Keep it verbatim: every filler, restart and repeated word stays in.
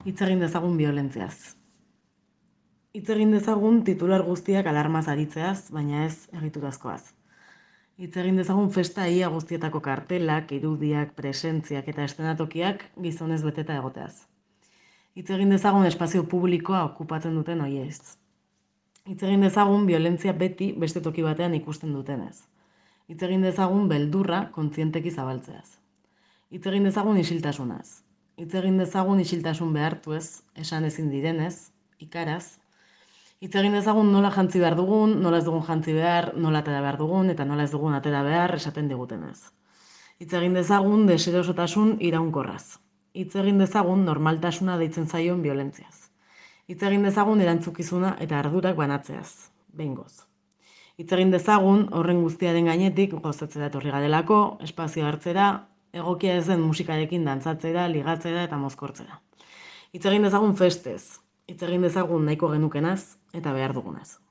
Hitz egin dezagun biolentziaz. Hitz egin dezagun titular guztiak alarmaz aritzeaz, baina ez egiturazkoaz. Hitz egin dezagun festa ia guztietako kartelak, irudiak, presentziak eta eszenatokiak gizonez beteta egoteaz. Hitz egin dezagun espazio publikoa okupatzen duten hoiez. Hitz egin dezagun violentzia beti beste toki batean ikusten dutenez. Hitz egin dezagun beldurra kontzienteki zabaltzeaz. Hitz egin dezagun isiltasunaz. Hitz egin dezagun isiltasun behartuez, esan ezin direnez, ikaraz. Hitz egin dezagun nola jantzi behar dugun, nola ez dugun jantzi behar, nola atera behar dugun, eta nola ez dugun atera behar esaten digutenez. Hitz egin dezagun deserosotasun iraunkorraz. Hitz egin dezagun normaltasuna deitzen zaion violentziaz. Hitz egin dezagun erantzukizuna eta ardurak banatzeaz, behingoz. Hitz egin dezagun horren guztiaren gainetik gozatzera etorri garelako, espazio hartzera, egokia ez den musikarekin dantzatzera, ligatzera eta mozkortzera. Hitz egin dezagun festez, hitz egin dezagun nahiko genukenaz eta behar dugunaz.